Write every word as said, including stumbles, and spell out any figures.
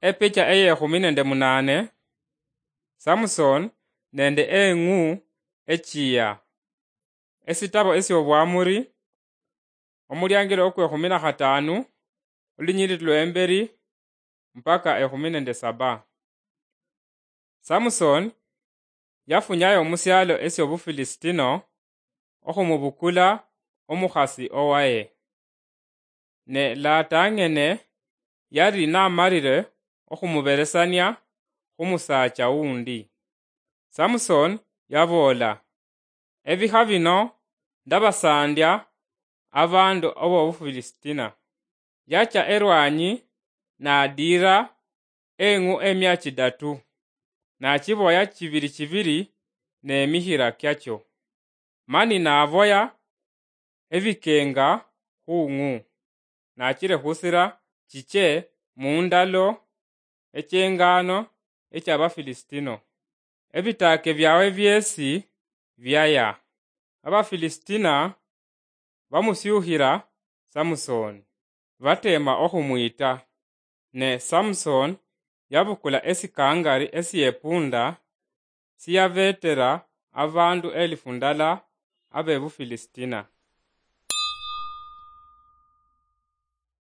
Epicha eyekhumi nende munane. Samson nende eng'u echiya. Esitabo esyobwamuri, omuliangiro okwekhumi na khatanu, olunyiriri lwemberi mpaka ekhumi nende saba. Samson yafunyayo musialo esyobufilisitino okhumubukula omukhasi owaye. Ne latang'ene yali namalire okhumuberesania khumusaacha wundi. Samson yaboola, "Ebikha bino ndabasaandya abaandu abobufilisitino." Yacha erwanyi nadiira eng'u emia chidatu, nachiboya chibiri chibiri nemikhira kiacho. Mani naboya ebikenga khung'u, nachirekhusira chiche mundalo echengano echabafilisitino. Ebitaake byawe byeesi byaya. Abafilisitino bamusyukhira Samusoni, bateema okhumwiita. Ne Samusoni yabukula esikangari esyepunda siyabeetera abaandu elifu ndala abebufilisitino.